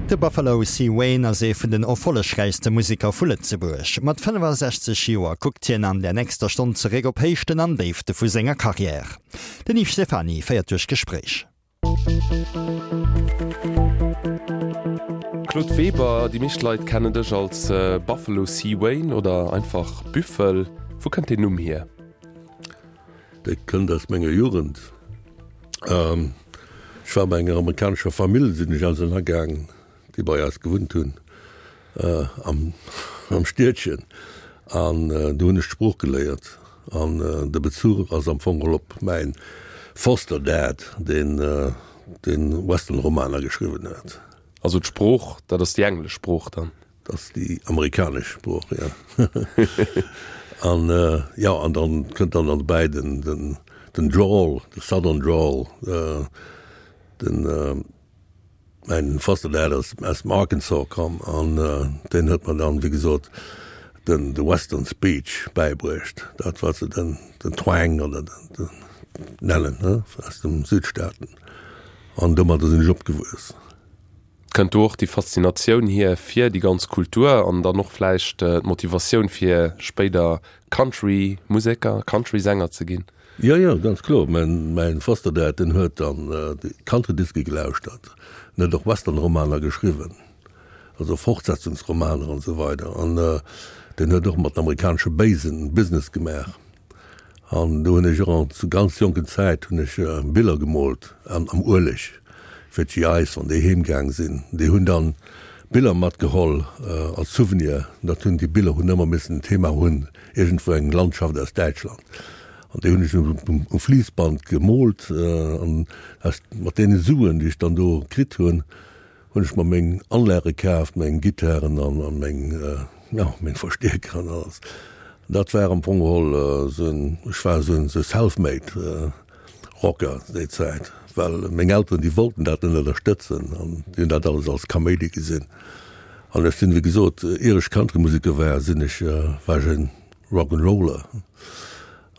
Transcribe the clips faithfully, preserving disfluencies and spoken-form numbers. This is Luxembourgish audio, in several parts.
De Buffalo C. Wayne ass ee vun den erfollegräichste Museker vu Lëtzebuerg. Mat fënnefasechzeg Joer kuckt hien an der nächster Stonn zeréck op Héichten an Déifte vu senger Karriär. Den Yves Stephany féiert duerch d'Gespréich. Claude Weber, déi meescht Leit kennen dech als Buffalo C. Wayne oder einfach Büffel. Wou kënnt deen Numm hier? Dee kënnt aus menger Jugend. Ech war bei enger amerikanescher Famill, sinn ech ausernergaang, déi bei eis gewunnt hunn am am Stiedchen. An do hunn ech d'Sprooch geléiert. An de Bezuch ass am Fong geholl op mäin Foster Dad, deen deen Western-Romaner geschriwwen huet. Also d'Sprooch, dat ass déi englesch Sprooch dann? Dat ass déi amerikanesch Sprooch, jo. An jo, an dann kënnt dann nach dobäi den den den Drawl, de Southern Drawl, den mäin Foster Dad ass aus dem Arkansas komm an deen huet mer dann, wéi gesot, den de Western Speech bäibruecht, dat wat se den den Twang oder den den nennen, ne, aus dem Südstaaten. An domadder sinn ech opgewuess. Kënnt do och déi Faszinatioun hier fir déi ganz Kultur an dann och vläicht d'Motivatioun fir spéider Country-Museker, Country-Sänger ze ginn? Jo, jo, ganz kloer. Mäin, mäin Foster Dad, deen huet dann déi Country-Diske gelauschtert. En huet och Western-Romaner geschriwwen, also Fortsetzungsromaner an esou weider. An deen huet och mat den amerikanesche Béisen Business gemaach. An do hunn ech och an zu ganz jonken Zäit hunn ech Biller gemoolt an am Ueleg fir d'GIs, wann déi heem gaang sinn. Déi hunn dann Biller matgeholl als Souvenir. Dat hunn déi Biller hunn ëmmer missen en Thema hunn, iergendwou eng Landschaft aus Däitschland. An déi hunn ech um Fliissband gemoolt an aus mat deene Suen, déi ech dann do kritt hunn, hunn ech mer meng Anlage kaaft, meng Gittaren an an meng, jo, meng Verstierker an alles. Dat war am Fong geholl esou en, ech war esou en self-made Rocker déi Zäit, well meng Elteren, déi wollten dat net ënnerstëtzen an déi hunn dat alles als Kaméidi gesinn. An ech sinn, wéi gesot, ier ech Countrymuseker war, sinn ech, war ech e Rock'n'Roller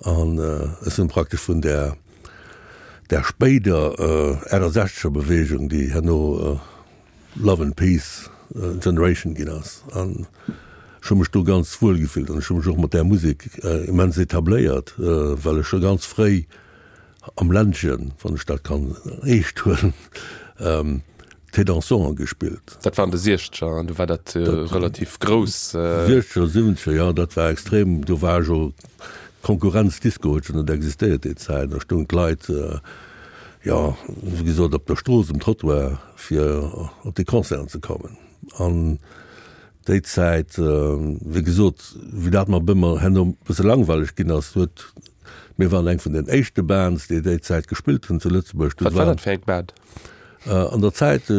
an ech sinn praktesch vun där, där spéider achtesechzeger Beweegung, déi herno Love and Peace Generation ginn ass. An ech hu mech do ganz wuel gefillt an ech hu mech och mat där Musek immens etabléiert, well ech scho ganz fréi am Ländchen, wann ech dat kann eescht huelen, Thé dansant gespillt. Dat war an de Siechzeger an du war dat relativ grouss. Siechzeger, Siwwenzeger, jo, dat war extrem. Do war jo Konkurrenzdisco huet jo net existéiert déi Zäit. Da stoungen d'Leit, jo, wéi gesot, op der Strooss, um Trottoir, fir op déi Concerten ze kommen. An déi Zäit, wéi gesot, wéi dat mer bëmmer herno e bësse langweileg ginn ass, huet, mir waren eng vun den éischte Bands, déi déi Zäit gespillt hunn zu Lëtzebuerg. Wat war dat fir eng Band? An der Zäit,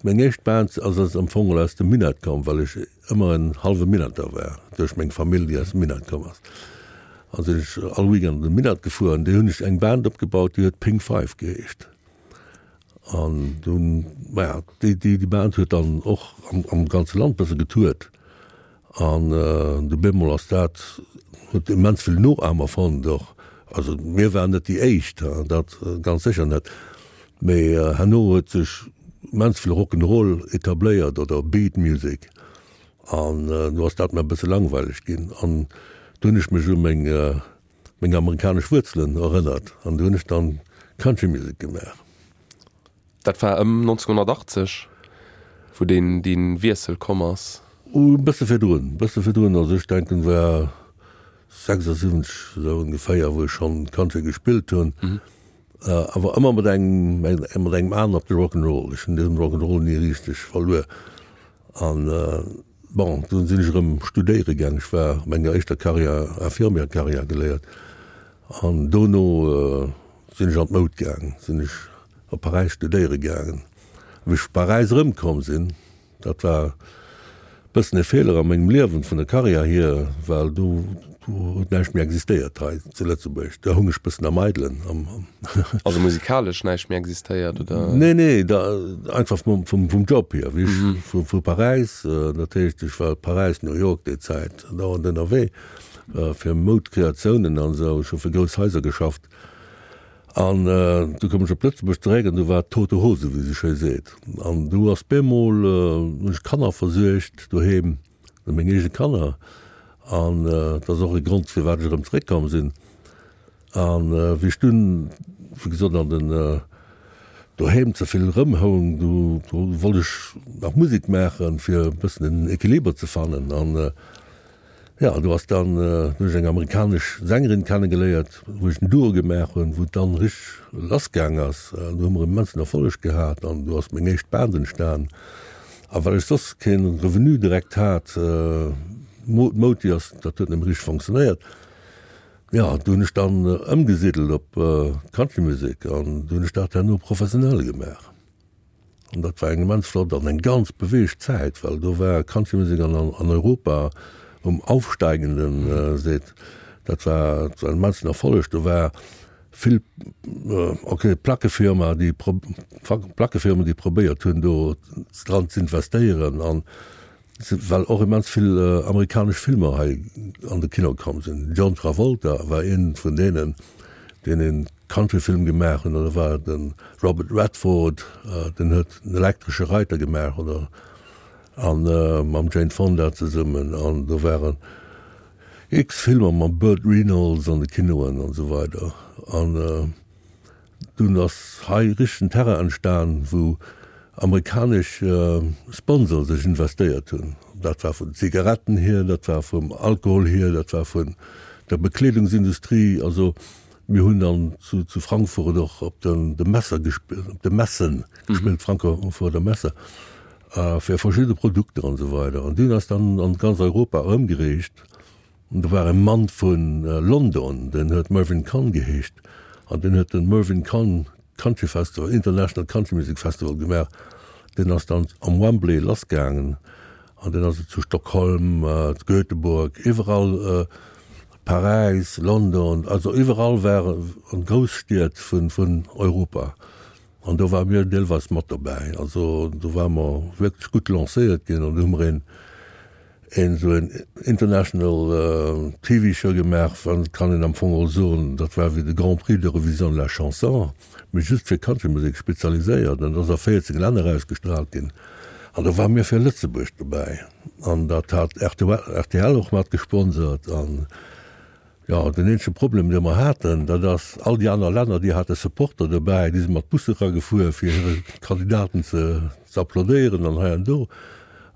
meng éischt Band ass ass am Fong aus dem Minett komm, well ech ëmmer en hallwe Minetter war, duerch meng Famill, déi aus dem Minett komm ass. An sinn ech all Weekend an de Minett gefuer an do hunn ech eng Band opgebaut, déi huet Pink Five geheescht. An dunn, maja, déi, déi, déi Band huet dann och am, am ganze Land bësse getourt. An du bemol ass dat, huet immens vill Noahmer fonnt och. Also mir waren net déi éischt, dat ganz sécher net, mee herno huet sech immens vill Rock'n'Roll etabléiert oder Beat Music. An du ass dat mer e bësse langweileg ginn. An du hunn ech mech u meng, meng amerikanesch Wuerzelen erënnert an du hunn ech dann Country Music gemaach. Dat war ëm nonzénhunnertachtzeg, wou deen, dee Wiessel komm ass? E bësse virdrun, e bësse virdrun. Also ech denken, war sechsasiwwenzeg esou ongeféier, wou ech schonn Country gespillt hunn. Awer ëmmer mat engem, mat engem Aen op de Rock'n'Roll. Ech hunn dee Rock'n'Roll ni richteg verluer. An bon, dunn sinn ech erëm studéiere gaang. Ech war a menger éischter Karriär, Infirmière-Karriär geléiert. An dono sinn ech an d'Moud gaang, sinn ech op Paräis studéiere gaangen. Wéi ech vu Paräis erëmkomm sinn, dat war e bëssen e Feeler a mengem Liewen, vun der Karriär hier, well do huet näischt méi existéiert hei zu Lëtzebuerg. Da hung ech bëssen am Eidelen. Also musikalesch näischt méi existéiert, oder? Nee, nee, da einfach vum, vum, vum Job hier. Wéi ech vu, vu Paräis, dat heescht, ech war Paräis, New York déi Zäit dauernd ënnerwee fir Moud-Kreatiounen an esou. Ech hu fir grouss Haiser geschafft. An du koum ech op Lëtzebuerg zeréck an du war tote Hose, wéi se schéi seet. An du ass bemol, hunn ech Kanner versuergt doheem, meng eege Kanner. An dat ass och e Grond, firwat ech erëm zeréckkomm sinn. An wéi ech dunn, wéi gesot, an den doheem ze vill erëmhoung, du wollt ech nach Musek maachen, fir e bëssen den Equiliber ze fannen. An Jo, do ass dann, do hunn ech eng amerikanesch Sängerin kennegeléiert, wou ech en Duo gemaach hunn, wou et dann richteg lass gaang ass. An do hu mer immensen Erfolleg gehat an do ass meng éischt Band entstan. A well ech soss kee Revenu direkt hat, Moti ass, dat huet net méi richteg fonctionnéiert, jo, do hunn ech dann ëmgesiddelt op d'Countrymusek an do hunn ech dat herno professionell gemaach. An dat war eng immens flott an eng ganz beweegt Zäit, well do war Countrymusek an an Europa um aufsteigenden Seet. Dat war dat war en immensen Erfolleg. Do war vill, okay, Plackefirma, déi Plackefirmen, déi probéiert hunn, do dran z'investéieren an well och immens vill amerikanesch Filmer hei an de Kino komm sinn. John Travolta war ee vun deenen, deen een Countryfilm gemaach hunn, oder war de Robert Redford, deen huet den Elektresche Reiter gemaach, oder an mam Jane Fonda zesummen, an do waren x Filmer mam Burt Reynolds an de Kinoen an esou weider. An dunn ass hei richtegen Terrain entstan, wou amerikanesch Sponsor sech investéiert hunn. Dat war vun Zigaretten hier, dat war vum Alkohol hier, dat war vun der Bekleedungsindustrie. Also mir hunn dann zu, zu Frankfurt och op den, de Messer gespillt, op de Messen gespillt, Frankfurter Messe, fir verschidde Produkter an esou weider. An dunn ass dann an ganz Europa erëmgereecht. An do war e Mann vu London, deen huet Mervyn Conn geheescht, an deen huet den Mervyn Conn Country Festival, International Country Music Festival gemaach. Deen ass dann am Wembley lassgaangen an deen ass zu Stockholm, zu Göteborg, iwwerall, Paräis, London, also iwwerall war an Grousstied vun vun Europa. An do ware mir deelweis mat dobäi. Also do ware mer wierklech gutt lancéiert ginn an do hu mer een een esou en international T V Show gemaach, wann kann een am Fong och soen, dat war wéi de Grand Prix d'Eurovision de la Chanson, mee just fir Countrymusek spezialiséiert an dat ass a véierzéng Länner ausgestraalt ginn. An do ware mir fir Lëtzebuerg dobäi an dat hat R T L och mat gesponsert an Jo, den eenzege Problem, dee mer haten, dat ass, all déi aner Länner, déi hate Supporter dobäi, déi si mat Busse eragefuer, fir hire Kandidaten ze ze applaudéieren an hei an do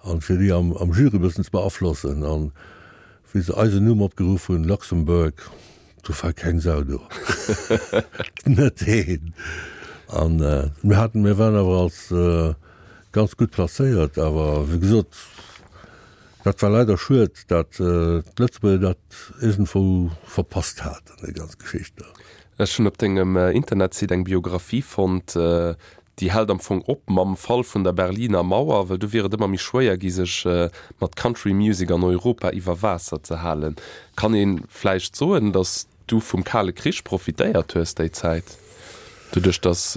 an fir déi am am Jury e bëssen ze beaflossen. An wéi se eisen Numm opgeruff hunn, Luxembourg, do war keng Sau do. Net een. An mir haten, mir waren awer als ganz gutt placéiert, awer wéi gesot, Dat war leider schued, dat d'Lëtzebuerger dat iergendwou verpasst haten, déi ganz Geschicht do. Ech hunn op dengem Internetsite eng Biographie fonnt, déi hält am Fong op mam Fall vun der Berliner Mauer, well du wier et ëmmer méi schwéier gi sech mat Country Music an Europa iwwer Waasser ze halen. Kann ee vläicht soen, datt du vum Kale Krich profitéiert hues déi Zäit, doduerch datt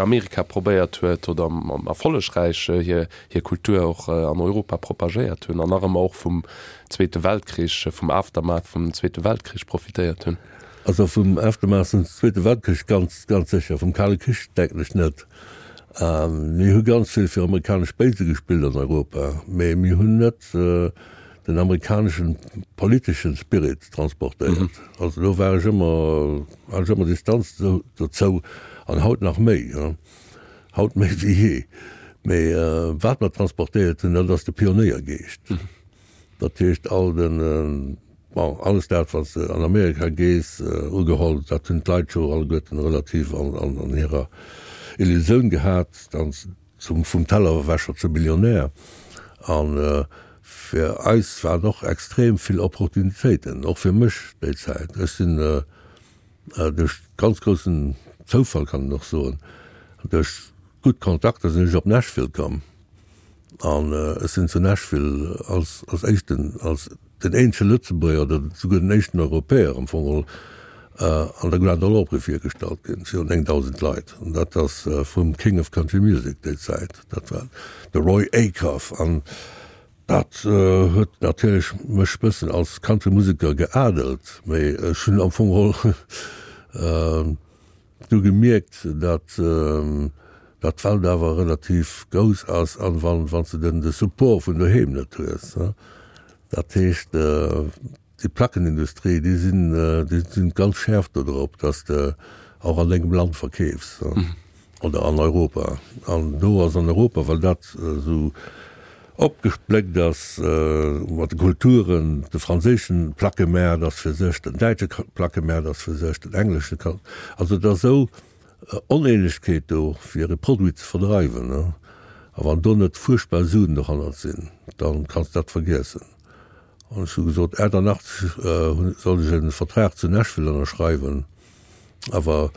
Amerika probéiert huet oder erfollegräich hir hir Kultur och an Europa propagéiert hunn an nach ëmmer och vum Zweete Weltkrich, vum Aftermath vum Zweete Weltkrich profitéiert hunn? Also vum Aftermath vum Zweete Weltkrich ganz, ganz sécher, vum Kale Krich denken ech net. Mir hu ganz vill fir amerikanesch Base gespillt an Europa, mee mir hunn net den amerikaneschen politeschen Spirit transportéiert. Also do war ech ëmmer, hat ech ëmmer Distanz dozou an haut nach méi, haut méi wéi jee. Mee wat mer transportéiert hunn, dat ass de Pionéiergeescht. Dat heescht all den, bon, alles dat wat s de an Amerika gees, ugeholl, dat hunn d'Leit scho alleguerten relativ an, an, an hirer Illusioun gehat, dann zum, vum Tellerwäscher zum Millionär. An fir eis waren och extrem vill Opportunitéiten, och fir mech déi Zäit. Ech sinn duerch ganz groussen Zoufall, kann een och soen, duerch gutt Kontakter sinn ech op Nashville komm. An ech sinn zu Nashville als, als éischten, als den eenzege Lëtzebuerger oder souguer den éischten Europäer am Fong geholl an der Grand Ole Opry virgestallt ginn, virun néngdausend Leit. An dat ass vum King of Country Music déi Zäit, dat war de Roy Acuff. An dat huet natierlech mech bëssen als Country-Museker geadelt, mee ech hunn am Fong geholl Du gemierkt, datt datt d'Welt awer relativ grouss ass an wann wann s de den de Support vun doheem net hues. Dat heescht déi Plackenindustrie, déi sinn déi sinn ganz schäerf do drop, datt s de och an dengem Land verkeefs oder an Europa. An do ass an Europa, well dat esou opgespléckt ass mat de Kulturen, de franséischen Plackemaart ass fir sech, den däitsche Plackemaart ass fir sech, den englesche, also et ass esou Oneenegkeet do fir e Produit ze verdreiwen. A wann do net fuerchtbar Suen dohannert sinn, da kanns de dat vergiessen. An ech hu gesot, aachtannachtzeg sollt ech e Vertrag zu Nashville ënnerschreiwen, awer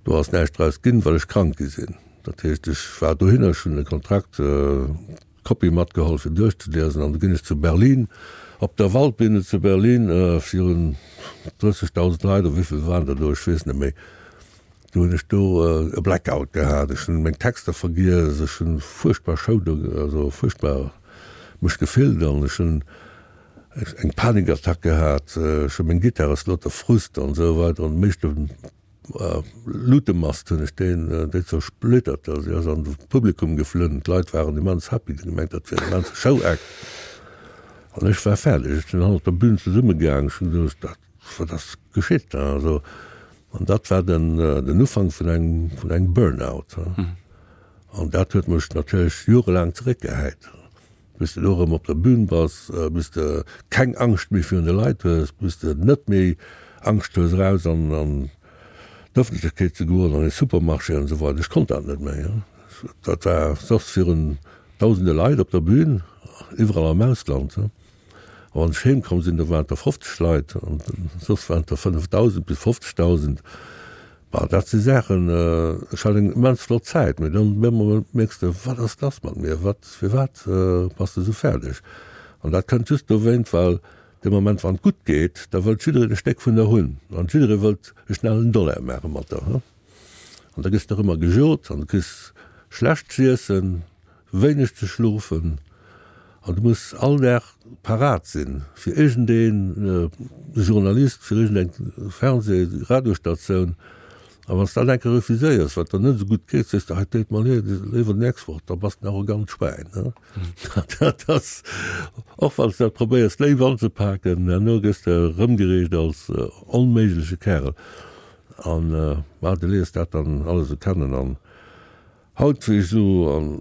do ass näischt draus ginn, well ech krank gi sinn. Dat heescht, ech war dohinner, ech hunn de Kontrakt, d'Kopie matgeholl fir duerchzeliesen, an du ginn ech zu Berlin op der Waldbühne zu Berlin virun drëssegdausend Leit, oder wéivill waren der do, ech weess net méi, do hunn ech do e Blackout gehat, ech hunn meng Texter vergiess, ech hunn fuerchtbar Show do, also fuerchtbar mech gefillt an ech hunn eng Panikattack gehat, ech hunn meng Gittar ass lauter Frust an esou weider an meeschte Lutemast hunn ech deen déi zersplittert, also déi ass an de Publikum geflunn, d'Leit waren immens happy, déi hu gemengt dat wier en immense Show-Act an ech war fäerdeg, ech sinn hannert der Bühn zesummegaang, ech hunn gesot, dat wat ass geschitt da, also an dat war den den Ufank vun engem vun engem Burnout an dat huet mech natierlech jorelaang zeréckgehäit. Bis de elo erëm op der Bühn bass, bis de keng Angscht méi virun de Leit hues, bis de net méi Angscht hues eraus an d'Ëffentlechkeet ze goen, an e Supermarché an esou weider. Ech konnt dat net méi. Dat war soss virun dausende Leit op der Bühn, iwwerall am Ausland. A wann ech heem komm sinn, do waren et der fofzeg Leit an soss waren et der fënnefdausend bis fofzegdausend. Bon, dat si Saachen, ech hat eng immens flott Zäit, mee dann op eemol mierks de, wat ass lass mat mir, wat, firwat bass de esou fäerdeg? An dat kënnt just dowéint, well dee Moment, wann et gutt geet, da wëllt jiddereen e Stéck vun der hunn an jidderee wëllt e schnellen Dollar maache mat der. An da gëss de och ëmmer gejot an du kriss schlecht z'iessen, wéineg ze schlofen an du muss all Dag parat sinn fir iergendee Journalist, fir iergendeng Fernseh-, Radiostatioun. A wann s de dat eng Kéier refuséiers, wat der net esou gutt geet, sees de, hei deet mer leed, léiwer d'nächst Woch, da bass de en arrogant Schwäin. Dat ass, och wann s de dat probéiers léif anzepaken, herno gëss de erëmgereecht als onméigleche Kärel. An, ma du léiers dat dann alles esou kennen. An haut, wéi ech esou am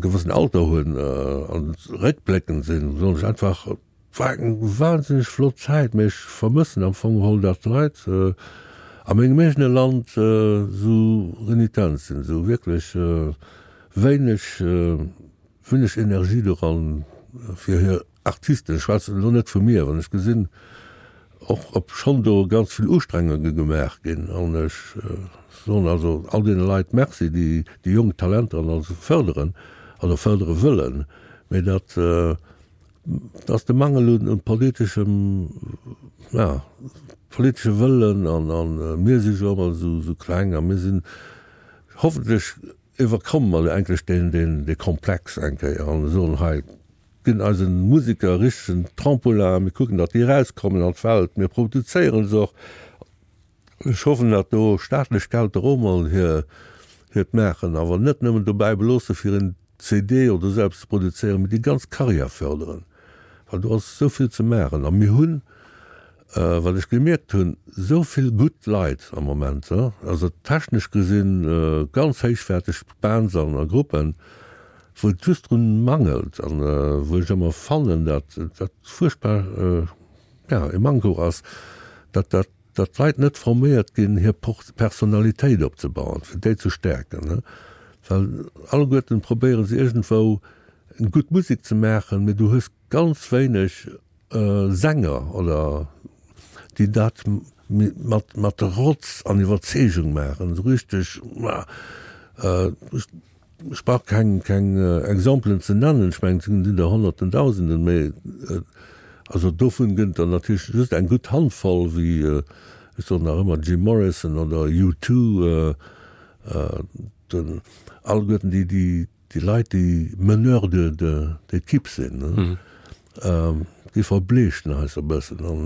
gewëssen Alter hunn an réckbléckend sinn, soen ech einfach, et war eng wahnsinneg flott Zäit, mee ech vermëssen am Fong geholl, datt d'Leit a mengem eegene Land esou renitent sinn, esou wierklech wéineg, wéineg Energie doran fir hir Artisten. Ech schwätzen elo net vu mir, wann ech gesinn, och obschonn do ganz vill Ustrengunge gemaach ginn, an ech soen also all deene Leit Merci, déi déi jonk Talenter an alles fërderen, also fërdere wëllen, mä datt ass de Mangel un politeschem, ja, politesche Wëllen an a mir si jo ëmmer esou kleng a mir sinn hoffentlech iwwerkomme mer endlech deen deen dee Komplex eng Kéier an soen, hei, ginn eise Museker e richtegen Trampolin, mir kucken, datt déi erauskommen an d'Welt, mir produzéiere se och. Ech hoffen, datt do staatlech Geld och emol hir hiert maachen, awer net nëmmen dobäi beloosse fir en C D oder esou eppes ze produzéieren, mee déi ganz Karriär fërderen, well do ass esou vill ze maachen. A mir hunn, wat ech gemierkt hunn, esou vill gutt Leit am Moment, also technesch gesinn ganz héichwäerteg Bands an a Gruppen, wou et just drun mangelt an wou ech ëmmer fannen, datt dat fuerchtbar, ja, e Manko ass, datt dat, datt d'Leit net forméiert ginn, hir Personalitéit opzebauen, fir déi ze stäerken, well alleguerten probéiere se iergendwou eng gutt Musek ze maachen, mee du hues ganz wéineg Sänger oder déi dat mat mat Rotz an Iwwerzeegung maachen, esou richteg, Ech brauch keng keng Exempelen ze nennen, ech mengen et sinn der Honnerten, Dausenden, mä also dovun gëtt et der natierlech just eng gutt Handvoll, wéi ech soen nach ëmmer Jim Morrison oder U Two, den alleguerten déi déi déi Leit déi Meneurs de de d'équipe sinn, déi verbleechen eis e bëssen an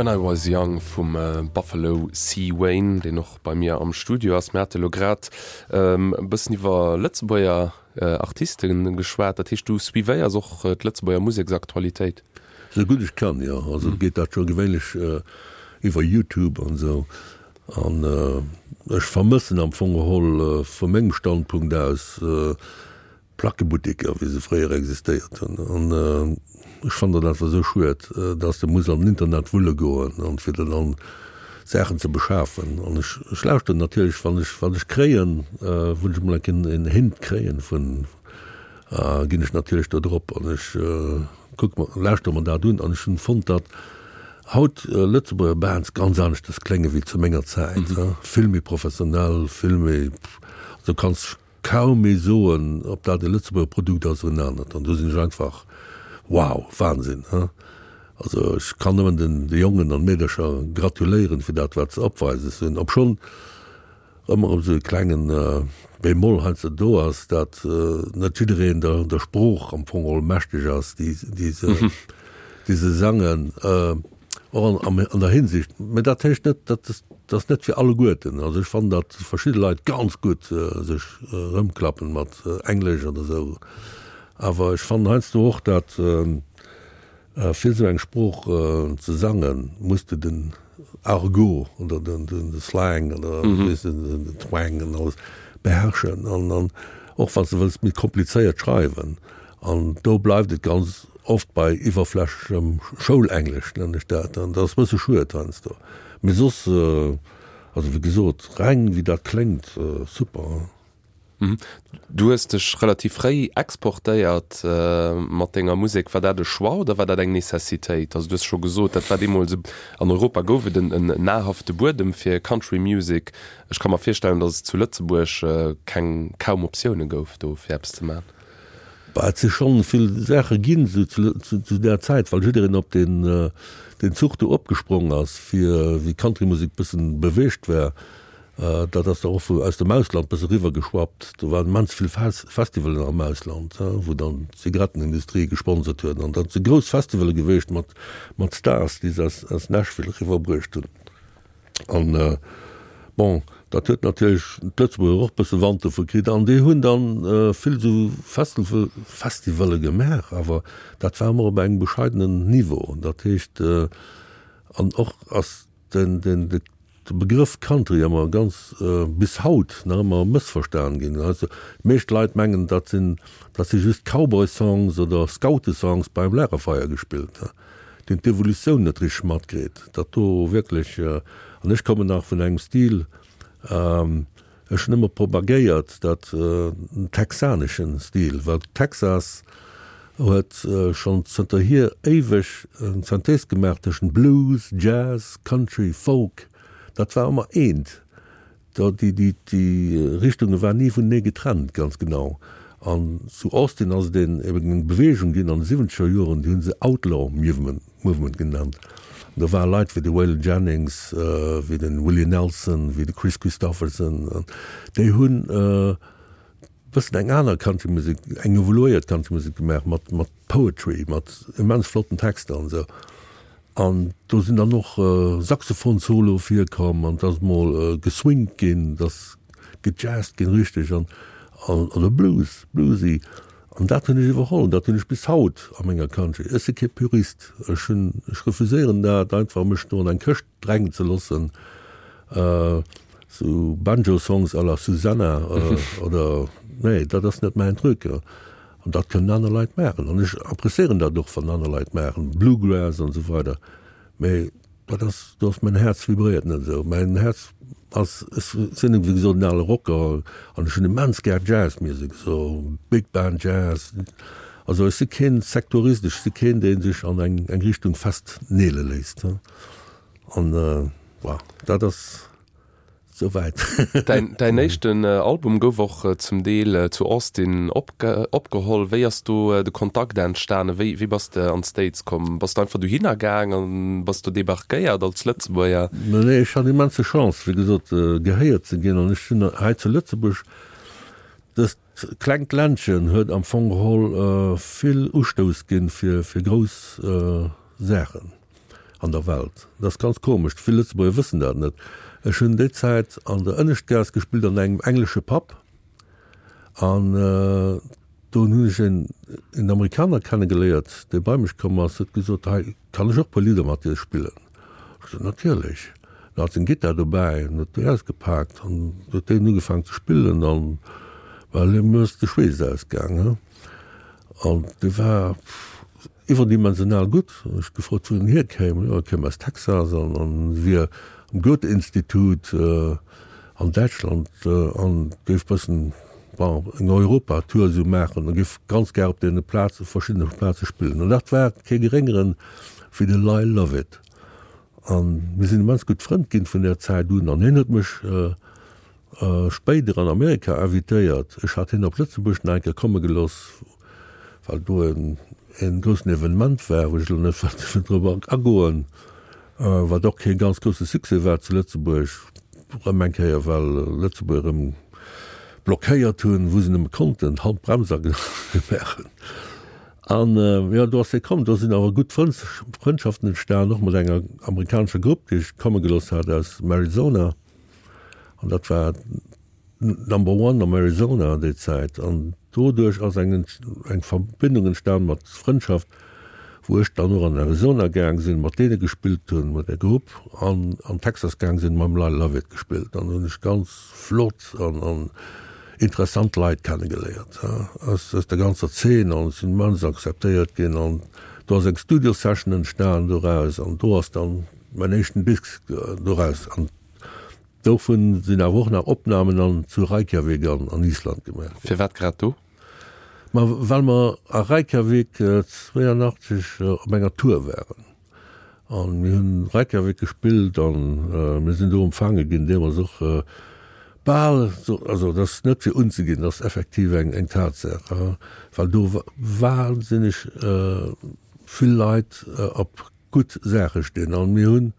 When I Was Young vum Buffalo C. Wayne, deen och bei mir am Studio ass. Mir hate lo grad e bëssen iwwer Lëtzebuerger Artiste geschwat. Dat heescht, du suivéiers och d'Lëtzebuerger Museksaktualitéit? Sou gutt ech kann, jo. Also geet dat scho gewéinlech iwwer YouTube an esou. An ech vermëssen am Fong geholl vu mengem Standpunkt aus d'Plackebutteker, wéi se fréier existéiert hunn. An ech fannen dat einfach esou schued, dass de muss an den Internet wulle goen, an fir der dann Saachen ze beschafen. An ech, ech lauschteren natierlech, wann ech, wat ech kréien, wou ech emol eng Kéier en Hint kréien vun, ginn ech natierlech do drop an ech kucke mer, lauschtere mer dat un. An ech hunn fonnt, datt haut Lëtzebuerger Bands ganz aneschtes klénge wéi zu menger Zäit, vill méi professionell, vill méi, also kanns kaum méi soen, ob dat e Lëtzebuerger Produkt ass oder en anert. An do sinn ech einfach, wow, Wahnsinn, he. Also ech kann nëmmen den de Jongen an Meedercher gratuléieren fir dat wat se opweises hunn, obschonn ëmmer erëm esou e klengen Bémol heiansdo do ass, dat net jiddereen der der Sprooch am Fong geholl mächteg ass, déi déi se déi se sangen, och an an der Hinsicht. Mä dat heescht net, dat dat ass net fir alleguerten. Also ech fannen, datt verschidde Leit ganz gutt sech erëmklappen mat Englesch oder esou, awer ech fannen heiansdo och, dat Fir esou eng Sprooch ze sangen, muss de den Argot oder de Slang oder weess de, den Twang an alles beherrschen. An och wann s de wëlls méi komplizéiert schreiwen. An do bleift et ganz oft bei iwwerflächlechem Schoulenglisch, nennen ech dat. An dat ass e bësse schued heiansdo. Mee soss, also wéi gesot, reng wéi dat kléngt, super. Du hues dech relativ fréi exportéiert mat denger Musek. War dat e Choix oder war dat eng Necessitéit? Also du hues scho gesot, dat war deemools, an Europa gouf et en nahrhafte Buedem fir Country Music. Ech ka mer virstellen, datt et zu Lëtzebuerg keng, kaum Optioune gouf do fir eppes ze maachen. Bah, et si schonn vill Saache ginn esou zu där Zäit, well jiddereen op deen Zuch do opgesprong ass, fir wéi d'Country-Musek bëssen beweegt war. Dat ass da och vu aus dem Ausland bësse riwwer geschwappt. Do waren immens vill Festivalen am Ausland, wou dann d'Zigarettenindustrie gesponsert huet. An dat si grouss Festivale geweecht mat mat Stars, déi se aus aus Nashville riwwerbruecht hunn. An bon, dat huet natierlech d'Lëtzebuerger och bësse Wand dovu kritt. An déi hunn dann vill esou Festival Festivale gemaach, awer dat war ëmmer op engem bescheidenen Niveau. Dat heescht, an och ass den den de De Begrëff Country ëmmer ganz, bis haut nach ëmmer mëssverstan ginn. Also déi meescht Leit mengen, dat sinn, dat si just Cowboy-Songs oder Scoute-Songs beim Lagerfeier gespillt. Déi hunn d'Evolutioun net richteg matkritt, datt do wierklech, an ech kommen nach vun engem Stil, ech hunn ëmmer propagéiert, dat den texaneschen Stil, well Texas huet schonn zënterhier éiweg eng Synthèse gemaach tëschent Blues, Jazz, Country, Folk. Dat war ëmmer eent. Déi, déi, déi Richtunge waren ni vunenee getrennt, ganz genau. An zu Austin ass et een, eben eng Beweegung ginn an de siwwenzeger Joren, déi hu se Outlaw Movement, Movement genannt. An do ware Leit wéi de Waylon Jennings, wéi de Willie Nelson, wéi de Kris Kristofferson, an déi hunn, bëssen eng aner Countrymusek, eng evoluéiert Countrymusek gemaach mat mat Poetry, mat immens flotten Texter an esou. An do sinn dann och Saxophon-Soloe virkomm an et ass mol geswingt ginn, et ass gejazzt ginn richteg an oder Blues, bluesy. An dat hunn ech iwwerholl an dat hunn ech bis haut a menger Country. Ech si kee Purist, ech hunn, ech refuséieren dat einfach mech do an eng Këscht drängen ze loossen. Sou Banjo-Songs à la Susanna oder, nee, dat ass net mäin Truc. An dat kënnen aner Leit maachen. An ech appréciéieren dat och, wann aner Leit maachen, Bluegrass an esou weider. Mee dat ass, do ass mäin Häerz vibréiert net esou. Mäin Häerz ass, ech sinn wéi gesot en ale Rocker an ech hunn immens gär Jazzmusek, esou Big Band Jazz. Also ech si keen Sektorist, ech si keen, dee sech an eng eng Richtung festneele léisst. An voilà, dat ass souwäit. Däin, däin éischten Album gouf och zum Deel zu Austin opge, opgeholl. Wéi ass do de Kontakt entstanen? Wéi, wéi bass de an d'States komm? Bass de einfach dohinner gaang an bass do debarquéiert als Lëtzebuerger? Nee, ech hat immense Chance, wéi gesot, gehéiert ze ginn. An ech hunn hei zu Lëtzebuerg, dëst klengt Ländchen huet am Fong geholl vill Ustouss ginn fir, fir grouss Saachen. an der Welt. Dat ass ganz komesch, vill Lëtzebuerger wëssen dat net. Ech hunn déi Zäit an der Ënneschtgaass gespillt an engem englesche Pub an do hunn ech een een Amerikaner kennegeléiert, dee bei mech komm ass, huet gesot, hei, kann ech och e puer Lidder mat dir spillen? Ech gesot, natierlech. En hat seng Gittar dobäi an huet déi ausgepaakt an huet déi ugefaangen ze spillen an well him ass de Schweess ausgaang, he. An dee war iwwerdimensional gutt. Hunn ech gefrot, wou en hierkéim. Jo, e kéim aus Texas an an wier am Goethe-Institut an Däitschland an géif bëssen, bon, eng Europa-Tour esou maachen a géif ganz gär op deene Plaze, verschiddene Plaze spillen. An dat war kee Geréngeren wéi de Lyle Lovett. A mir sinn immens gutt Frënn ginn vun där Zäit un. An hien huet mech spéider an Amerika invitéiert. Ech hat hien op Lëtzebuerg nach eng Kéier komme gelooss, well do en groussen Evenement war, wou ech elo net wëll drop agoen, wat och kee ganz grousse Succès war zu Lëtzebuerg, erëm eng Kéier, well Lëtzebuerger erëm blockéiert hunn, wou se nëmme konnten, d'Handbrems agemaach hunn. An jo, do ass hie komm. Do sinn awer gutt Frëndschaften entstan, och mat enger amerikanescher Grupp, déi ech komme gelooss hat aus Arizona. An dat war Number One am Arizona déi Zäit. An doduerch ass eng eng Verbindung entstan mat Frëndschaft, wou ech dann och an Arizona gaang sinn, mat deene gespillt hunn, mat där Grupp, an an Texas gaang sinn, mam Lyle Lovett gespillt. An do hunn ech ganz flott an an interessant Leit kennegeléiert aus aus der ganzer Zeen an sinn immens akzeptéiert ginn an do ass eng Studio Session entstan doraus an do ass dann mäin éischten Disk doraus an dovun sinn awer och nach Opnamen an zu Reykjavik an an Island gemaach ginn. Firwat grad do? Ma well mer a Reykjavik zwéianachtzeg op enger Tour waren an mir hunn Reykjavik gespillt an mir sinn do empfaange ginn, deemools och Bal, also dat ass net fir unzeginn, dat ass effektiv eng eng Tatsaach, well do wahnsinneg vill Leit op gutt Saache stinn. An mir hunn,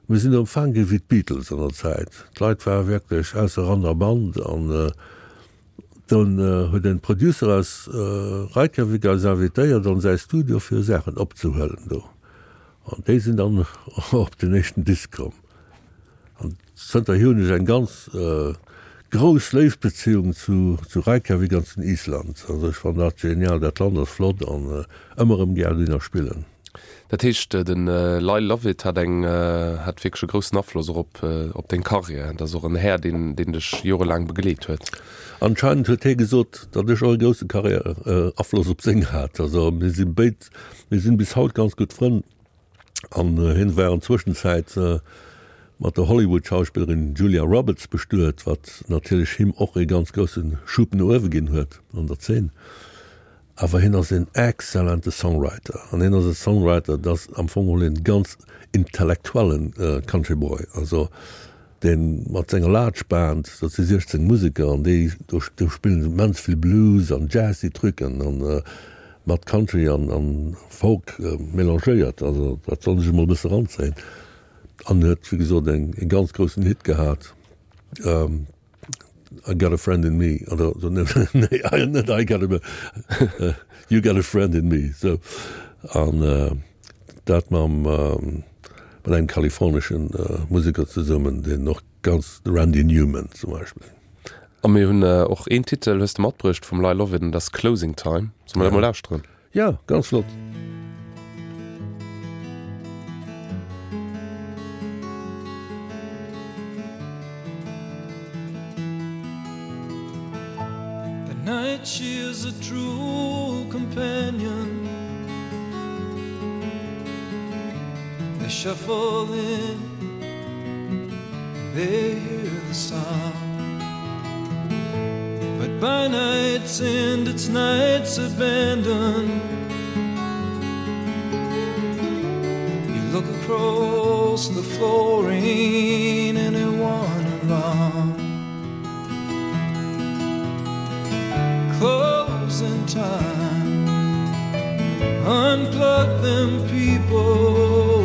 mir sinn do empfaang gi wéi d'Beatles an der Zäit. D'Leit ware wierklech ausser Rand a Band. An dunn huet en Producer aus Reykjavik eis invitéiert an säi Studio fir Saachen opzehuelen do. An déi sinn dann op den éischten Disk komm. An zënterhier hunn ech eng ganz grouss Léiftbeziehung zu zu Reykjavik an zu Island. Also ech fannen dat genial, dat Land ass flott an ëmmer erëm gär dohinner spillen. Dat heescht den Lyle Lovett hat eng hat wierklech e groussen Afloss och op op deng Karriär. Dat ass och en Här deen deen dech jorelaang begleet huet. Anscheinend huet hie gesot, datt ech och e grousse Karriär Afloss op seng hat. Also mir si béid, mir sinn bis haut ganz gutt Frënn. An hien war an Zwëschenzäit mat der Hollywood-Schauspillerin Julia Roberts bestuet, wat natierlech him och ee ganz grousse Schub no uewe ginn huet an der Zeen. Awer hien ass een exzellente Songwriter. An hien ass e Songwriter, dat ass am Fong geholl een ganz intellektuellen Country Boy. Also dee mat senger Large Band, dat si siechzéng Museker, an déi do spillen se immens vill Blues an jazzy Trucken an mat Country an Folk mélangéiert. Also dat soll sech emol e bësse eranzéien. An huet wéi gesot eng e ganz groussen Hit gehat, I got a friend in me, oder nee net I got a, You got a friend in me, sou. An dat mam mat engem kaliforneschen Museker zesummen, deen och ganz, de Randy Newman zum Beispill. A mir hunn och een Titel hues de matbruecht vum Lyle Lovett, an dat ass Closing Time. Solle mer dat mol lauschteren? Ja, ganz flott. The night she is a true companion They shuffle in They hear the sound But by night's end it's night's abandon You look across the floor ain't anyone around Closing time Unplug them people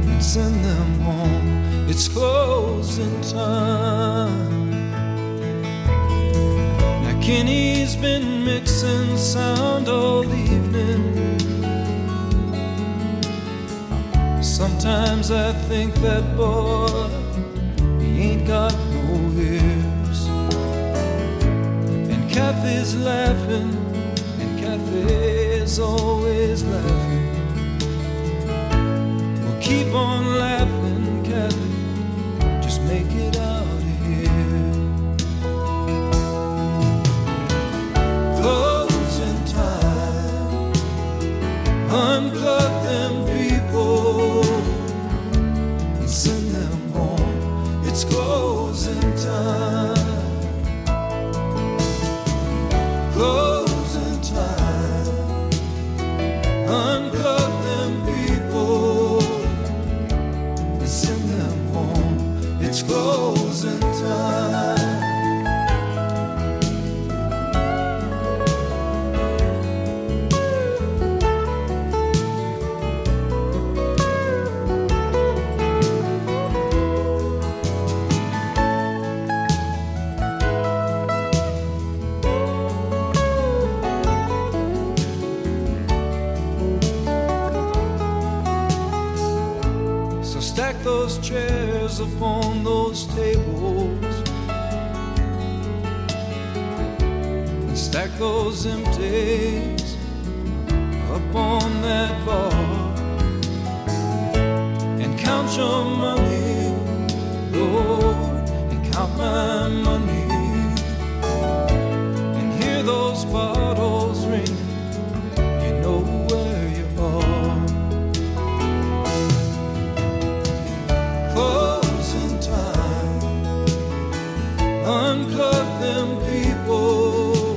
And send them home It's closing time Now Kenny's been mixing sound all evening Sometimes I think that boy, he ain't got no ears. And Kathy's laughing, and Kathy's always laughing. Well, keep on laughing, Kathy, just make it out of here. Closing time, unplug them people and send them home. It's closing time. Closing time. Unplug them people and send them home. It's closing time. So stack those chairs upon those tables and stack those empties upon that bar and count your money, Lord, and count my money and hear those bottles ring. You know where you are. Closing time, unplug them people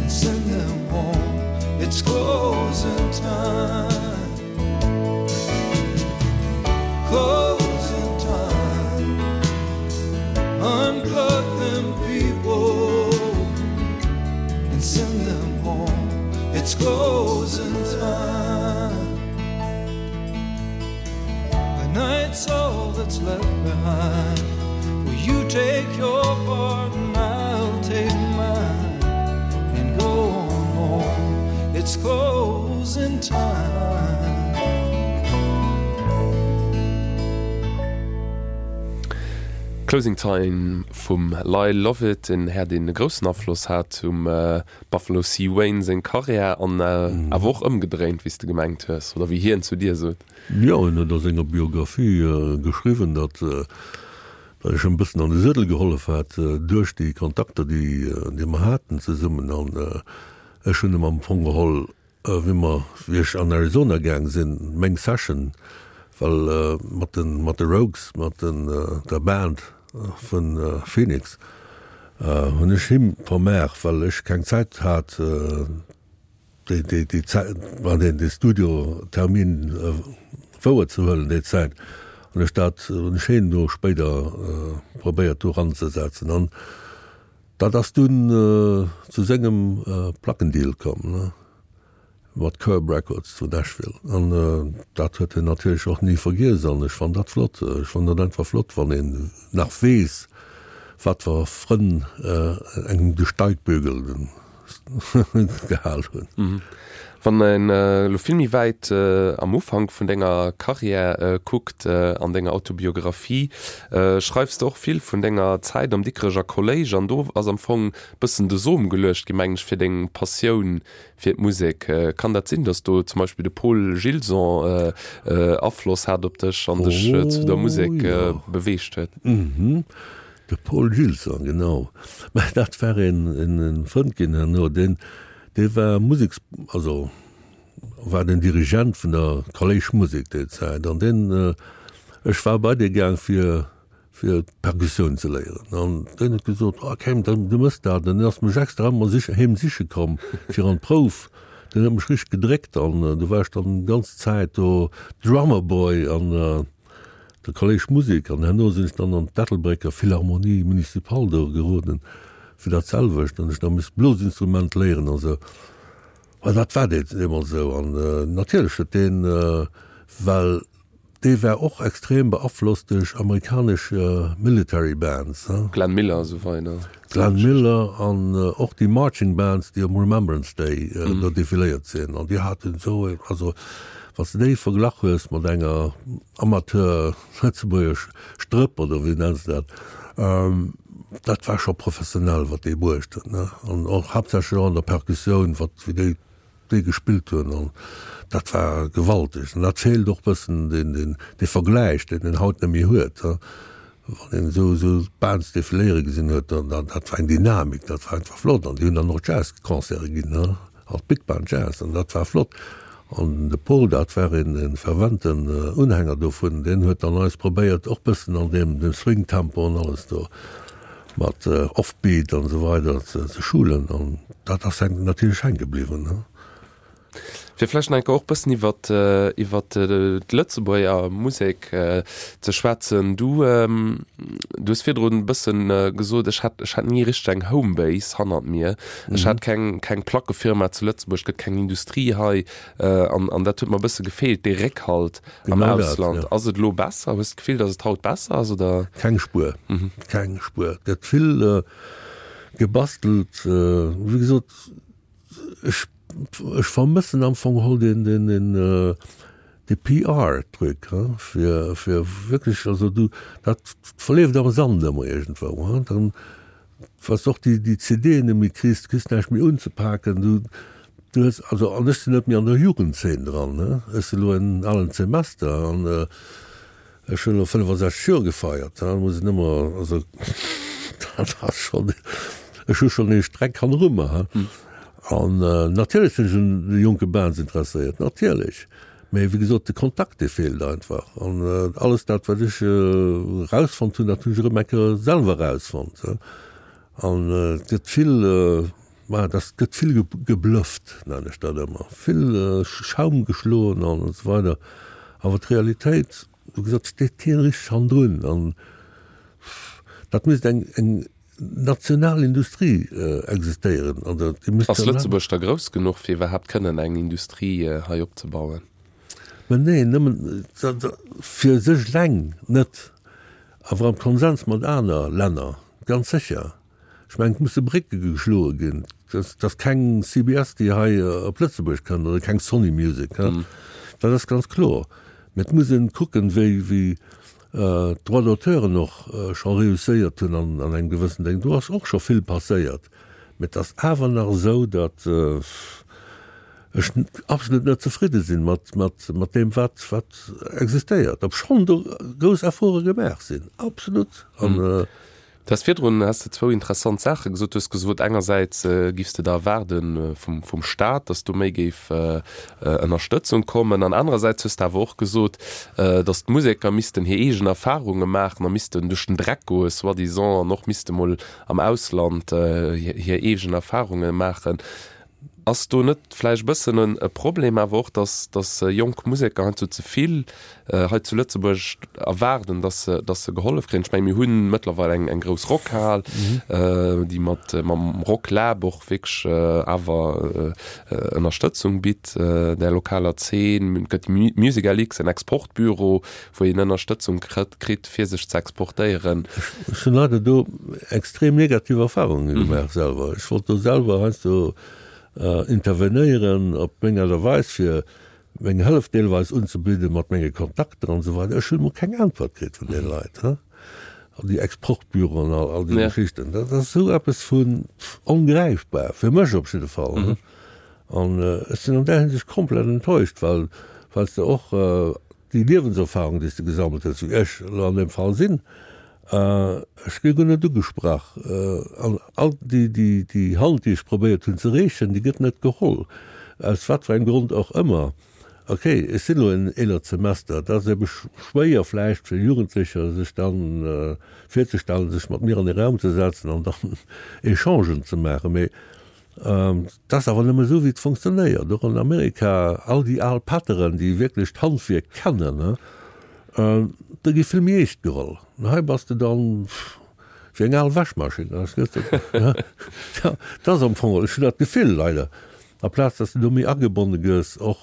and send them home. It's closing time. Closing time, unplug them people and send them home. It's closing time. The night's all that's left behind. Will you take your part and I'll take mine and go on home? It's closing time. Closing Time vum Lyle Lovett, en Här deen e groussen Afloss hat um Buffalo C. Wayne seng Karriär an awer och ëmgedréint, wéi s de gemengt hues, oder wéi hien zu dir sot. Jo, en huet a senger Biographie geschriwwen, datt datt ech em bëssen an de Suedel gehollef hat duerch déi Kontakter, déi déi mer haten zesummen. An ech hunn em am Fong geholl, wéi mer, wéi ech an Arizona gaang sinn, meng Session, well mat den mat de Rogues, mat den der Band vun Phoenix, hunn ech him vermaach, well ech keng Zäit hat, déi déi déi Zäit, deen dee Studiotermin wouer ze huelen déi Zäit. Hunn ech dat, hunn ech hien do spéider probéiert do eranzesetzen. An dat ass dunn zu sengem Plackendeal komm, ne, mat Curb Records zu Nashville. An dat huet hien natierlech och ni vergiess an ech fannen dat flott. Ech fannen dat einfach flott, wann een nach weess, wat fir Frënn engem de Steigbügel gehal hunn. Wann een elo vill méi wäit am Ufank vun denger Karriär kuckt, an denger Autobiographie schreifs de och vill vun denger Zäit am Dikreger Kolléisch an do ass am Fong bëssen de Som geluecht gi mengen ech fir deng Passioun fir d'Musek. Kann dat sinn, datt do zum Beispill de Paul Gilson Afloss hat op dech an dech zu der Musek beweegt huet? De Paul Gilson, genau. Mä dat war een en Frënd ginn herno, deen dee war Museks, also war den Dirigent vun der Kolléischmusek déi Zäit. An deen, ech war bei dee gaang fir fir Perkussioun ze léieren. An deen huet gesot, oh Cam, du mëss dat. An deen ass mech extra ëmmer sich heem siche komm fir an d'Prouf. Deen huet mech richteg gedréckt an du war ech dann ganz Zäit do Drummer Boy an der Kolléischmusek. An herno sinn ech dann an d'Ettelbrécker Philharmonie Municipale do geroden fir dat selwecht. Dann hunn ech nach misst Blosinstrument léieren an esou. Well dat war deemools esou. An natierlech huet deen, well dee war och extrem beaflosst duerch amerikanesch Military Bands. Glenn Miller a sou weider. Glenn Miller an och déi Marching Bands, déi um Remembrance Day do defiléiert sinn. An déi haten esou, also Wann s de déi verglach hues mat enger Amateur lëtzebuergesch Strëpp oder wéi nenns de dat, dat war scho professionell wat déi bruecht hunn, ne. An och haaptsächlech och an der Perkussioun, wat wéi déi déi gespillt hunn an dat war gewalteg. An dat feelt och bëssen, deen deen dee Vergläich, deen een haut net méi huet, wann een esou esou Bands defiléiere gesinn huet, dann dat war eng Dynamik, dat war einfach flott. An déi hunn dann och Jazzconcerte ginn, als Big Band Jazz, an dat war flott. An de Paul, dat war een e ferventen Unhänger dovun, deen huet dann eis probéiert och bëssen an deem deem Swing-Tempo an alles do mat Offbeat an esou weider ze ze schulen an dat ass natierlech hänke bliwwen. Fir vläicht nach eng Kéier och bëssen iwwert iwwert d'Lëtzebuerger Musek ze schwätzen. Du du hues virdrun e bëssen gesot, ech hätt ech hätt ni richteg eng Homebase hannert mir. Ech hat keng keng Plackefirma zu Lëtzebuerg, et gëtt keng Industrie hei an an dat huet mer e bësse gefeelt, dee Réckhalt am Genau dat, Ausland. ja. Ass et elo besser? Hues de d'Gefill, datt et haut besser ass, oder? Keng Spuer, keng Spuer. Et gëtt vill gebastelt, wéi gesot, ech Ech vermëssen am Fong geholl deen, deen, deen, dee P R-Truc, he, fir, fir wierklech, also du, dat verleeft am Sand ëmmer iergendwou, he. Dann, wa s de och déi, déi C D'en net méi kriss, du kriss näischt méi unzepaken, du, du hues, also, an ech sinn net méi an der Jugendzeen dran, he, ech sinn elo en alen Semester an ech hunn elo fënnefasechzeg Joer gefeiert, da muss een ëmmer, also dat ass schonn, ech hu schonn ee Streck hanneru mer, he. An natierlech sinn ech un de jonke Bands interesséiert, natierlech, mee wéi gesot, de Kontakt, dee feelt einfach. An alles dat, wat ech erausfonnt hunn, dat hunn ech erëm eng Kéier selwer erausfonnt. An et gëtt vill, ma dat gëtt vill geblufft, nennen ech dat ëmmer, vill Schaum geschloen an esou weider. Awer d'Realitéit, wéi gesot, steet keen richteg hannendrun. An dat misst eng, eng national Industrie existéieren. An déi misst Ass Lëtzebuerg da grouss genuch, fir iwwerhaapt kënnen eng Industrie hei opzebauen? Mä neen, nëmmen fir sech eleng net, awer am Konsens mat aner Länner, ganz sécher. Ech mengen, et musse Brécke geschloe ginn, dass dass keng C B S, déi hei op Lëtzebuerg kënnt, oder keng Sony Music, dat ass ganz kloer. Mä et muss ee kucken, wéi wéi d'Droits d'auteuren och scho reusséiert hunn an an engem gewëssen Déng. Do ass och scho vill passéiert. Mä et ass awer nach esou, datt ech absolut net zefridde sinn mat mat mat deem, wat wat existéiert, obschonn do grouss Efforte gemaach sinn, absolut. An Du has virdrun has de zwou interessant Saache gesot. Du hues gesot, engersäits giffs de der erwaarde vum vum Staat, datt do méi géif Ënnerstëtzung kommen, an anerersäits hues de awer och gesot, datt d'Museker missten hir eegen Erfarunge maachen a missten duerch den Dreck goe soi-disant an och misste mol am Ausland hir eegen Erfarunge maachen. Ass do net vläicht e bëssen e Problem awer och, datt datt jonk Museker heiansdo ze vill hei zu Lëtzebuerg erwaarden, datt se datt se gehollef kréien? Ech menge mir hu mëttlerweil eng eng grouss Rockhal, déi mat mam Rocklab och wierklech awer Ënnerstëtzung bitt der lokaler Zeen. Et gëtt MusicLX, en Exportbüro, wou een Ënnerstëtzung kritt kritt fir sech ze exportéieren. Ech hunn leider do extrem negativ Erfarunge gemaach selwer. Ech wollt do selwer heiansdo intervenéieren op meng Aart a Weis, fir meng Hëllef deelweis unzebidden, mat menge Kontakter an esou weider. Ech hunn emol keng Äntwert kritt vun deene Leit, he. All déi Exportbüroen, all, all déi Geschichten, dat ass esou eppes vun ongräifbar, fir mech op jidde Fall, he. An ech sinn an där Hinsicht komplett enttäuscht, well, well s de och déi Liewenserfahrung, déi s de gesammelt hues, wéi ech elo an deem Fall sinn, Ech gi guer net ugesprach. An all déi, déi, déi Hand, déi ech probéiert hunn ze reechen, déi gëtt net geholl, aus wat fir engem Grond och ëmmer. Ok, ech sinn elo en eelert Semester, et ass ebe schwéier vläicht fir Jugendlecher, sech dann virzestellen, sech mat mir an ee Raum ze setzen an dann Echangen ze maachen. Mee Et ass awer nëmme esou, wéi et funktionéiert. Och an Amerika, all déi al Pätteren, déi wierklech d'Handwierk kennen, déi gi vill méi eescht geholl. An hei bass de dann wéi eng al Wäschmaschinn. Dat ass am Fong, ech hunn dat Gefill leider, aplaz datt s de do méi agebonne gëss, och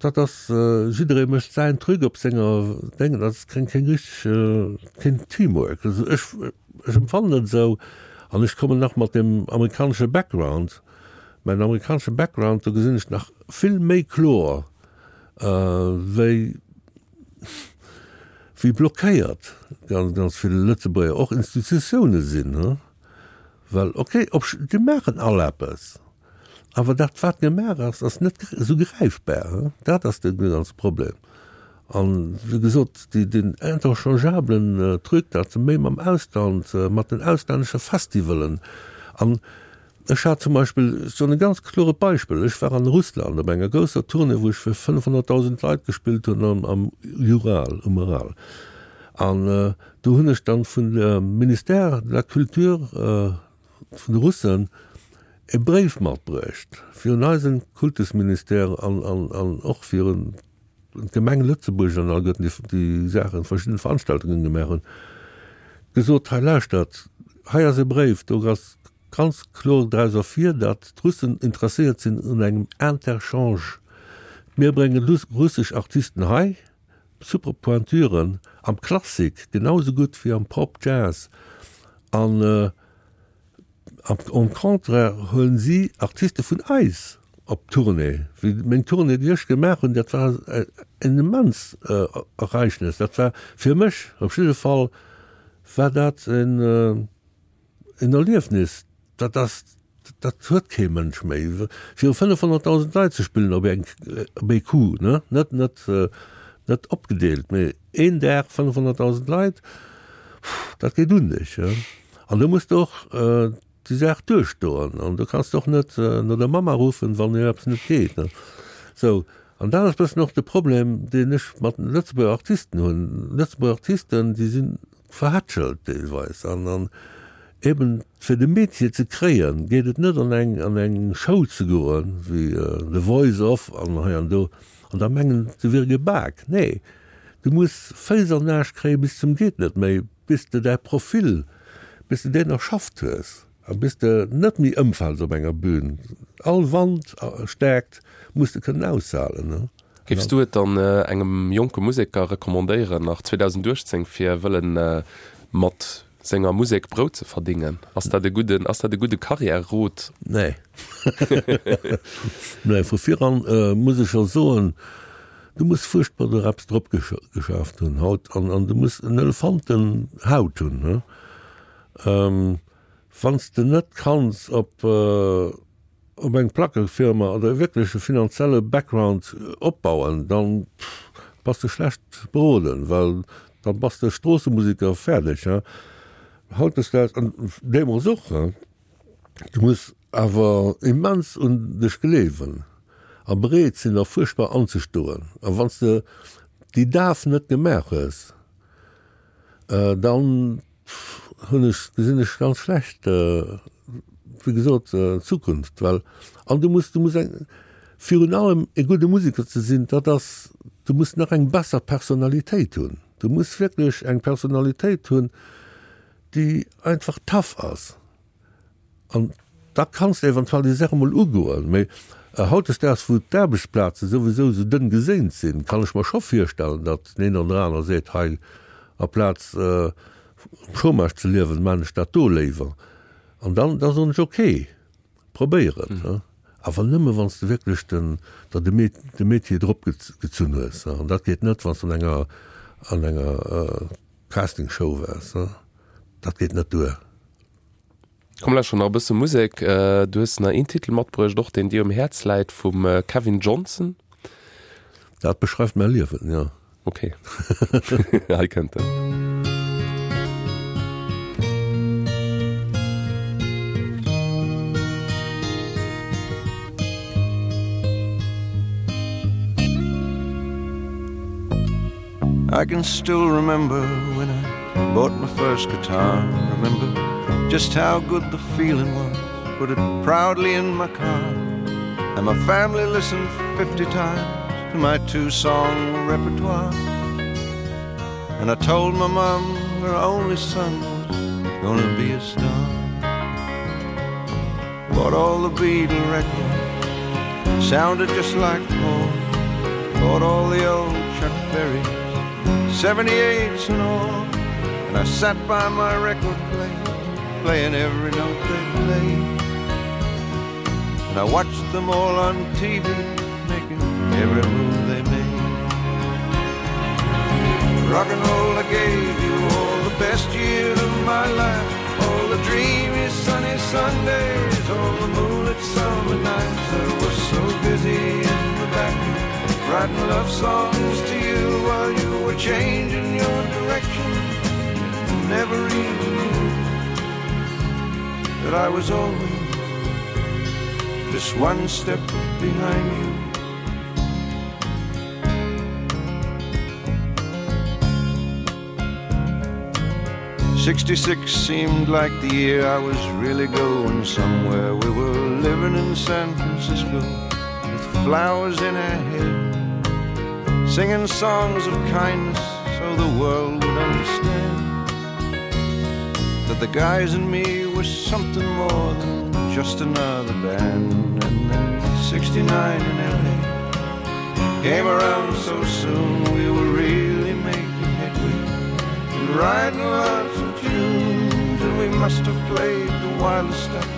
dat ass, jidderee mécht säin Truc op senger Déng, dat ass keng keng richteg, keen Teamwork. Also ech ech empfannen et esou an ech kommen nach mat deem amerikanesche Background, mäin amerikanesche Background, do gesinn ech nach vill méi kloer wéi wéi blockéiert ganz ganz vill Lëtzebuerger och Institutioune sinn, he? Well okay, op déi maachen all eppes, awer dat wat gemaach ass, ass net esou gräifbar, he? Dat ass de ganze Problem. An wéi gesot, déi deen interchangeablen Truc, dat se méi mam Ausland, mat den auslännesche Festivalen an ech hat zum Beispill, ech soen e ganz klore Beispill, ech war an Russland op enger grousser Tournée, wou ech fir fënnefhonnertdausend Leit gespillt hunn am am Ural, um Ural. An do hunn ech dann vun dem Ministère de la Culture vun de Russen e Bréif matbruecht fir un eisen Kultusministère an an an och fir un d'Gemeng Lëtzebuerg an alleguerten déi déi Saachen, verschidden Veranstaltungen gemaach hunn, gesot, hei lauschtert, hei ass e Bréif, do ass ganz kloer draus ervir, datt d'Russen interesséiert sinn un engem Interchange. Mir brénge russesch Artisten hei, super Pointuren am Klassik genau esou gutt wéi am Pop, Jazz an au contraire huelen si Artiste vun eis op Tournée. Wéi meng Tournée, déi ech gemaach hunn, dat war en immens Ereignis. Dat war fir mech op jidde Fall war dat en En Erliefnis, dat ass, dat huet kee Mënsch méi. Viru fënnefhonnertdausend Leit ze spillen op eng, op ee Coup, ne, net, net, net opgedeelt, mee een Dag fënnefhonnertdausend Leit, dat geet un dech, he. An do muss de och déi Saach duerchstoen an do kanns de och net no der Mamma ruffen, wann dir eppes net geet, ne. Sou, an dat ass e bëssen och de Problem, deen ech mat den Lëtzebuerger Artisten hunn. Lëtzebuerger Artisten, déi si verhätschelt deelweis an, an Eben fir de Métier ze kréien, geet et net an eng an eng Show ze goen, wéi The Voice of an hei an do, an da mengen se wier gebak. Nee, du muss Féiss an Aarsch kréie bis zum geet net méi, bis de däi Profil, bis de deen erschafft hues a bis de net méi ëmfäls op enger Bühn. All Wandstärkt muss de kënnen aushalen. Géifs du et dann engem jonke Museker recommandéieren, nach zweedausendachtzéng fir wëllen mat senger Musek Brout ze verdingen? Ass dat e gudden, ass dat e gudde Karriärerot? Nee. Nee, vu viran muss ech scho soen, du muss fuerchtbar der eppes drop geschaaft hunn haut an an du muss en Elefantenhaut hunn, ne? Wann s de net kanns op op eng Plackefirma oder e wierkleche finanzielle Background opbauen, dann bass de schlecht beroden, well dann bass de Stroossemusiker, fäerdeg. Hautdesdaags, an deemools och, du muss awer immens un dech gleewen a bereet sinn a fuerchtbar anzestoen. A wann s de déi Daf net gemaach hues, dann hunn ech, gesinn ech ganz schlecht, wéi gesot, d'Zukunft, well, an du muss, du muss eng, virun allem e gudde Musiker ze sinn, dat ass, du muss nach eng besser Personalitéit hunn. Du muss wierklech eng Personalitéit hunn, déi einfach tough ass. An da kanns de eventuell déi Saach emol ugoen. Mee hautdesdaags, wou d'Aarbechtsplaze souwisou esou dënn geséint sinn, kann ech mer scho virstellen, datt den een oder aner seet, hei, aplaz um Chômage ze liewen, maan ech dat do léiwer. An dann, da soen ech, ok, probéier et. Awer nëmme wann s de wierklech den, der de de Métier drop gezunn hues. An dat geet net, wann s de an enger, an enger Castingshow waars. Dat geet net duer. Komm lauschteren nach e bësse Musek. Du hues nach een Titel matbruecht, och deen dir um Häerz läit, vum Kevin Johnson. Dat beschreift mäi Liewen, jo. Ok, hei kënnt en. I can still remember when I bought my first guitar remember just how good the feeling was put it proudly in my car and my family listened fifty times to my two song repertoire and I told my mom her only son was gonna be a star bought all the Beatle records sounded just like Paul bought all the old Chuck Berry seventy-eights and all and I sat by my record player playing every note they played and I watched them all on T V making every move they made Rock and roll, I gave you all the best years of my life, all the dreamy sunny Sundays, all the moonlit summer nights. I was so busy in the back writing love songs to you while you were changing your direction. Never even knew that I was always just one step behind you. Sixty-six seemed like the year I was really going somewhere. We were living in San Francisco with flowers in our hair, singing songs of kindness so the world would understand that the guys and me were something more than just another band. And then sixty-nine in L A came around so soon, we were really making headway and writing lots of tunes, and we must have played the wildest stuff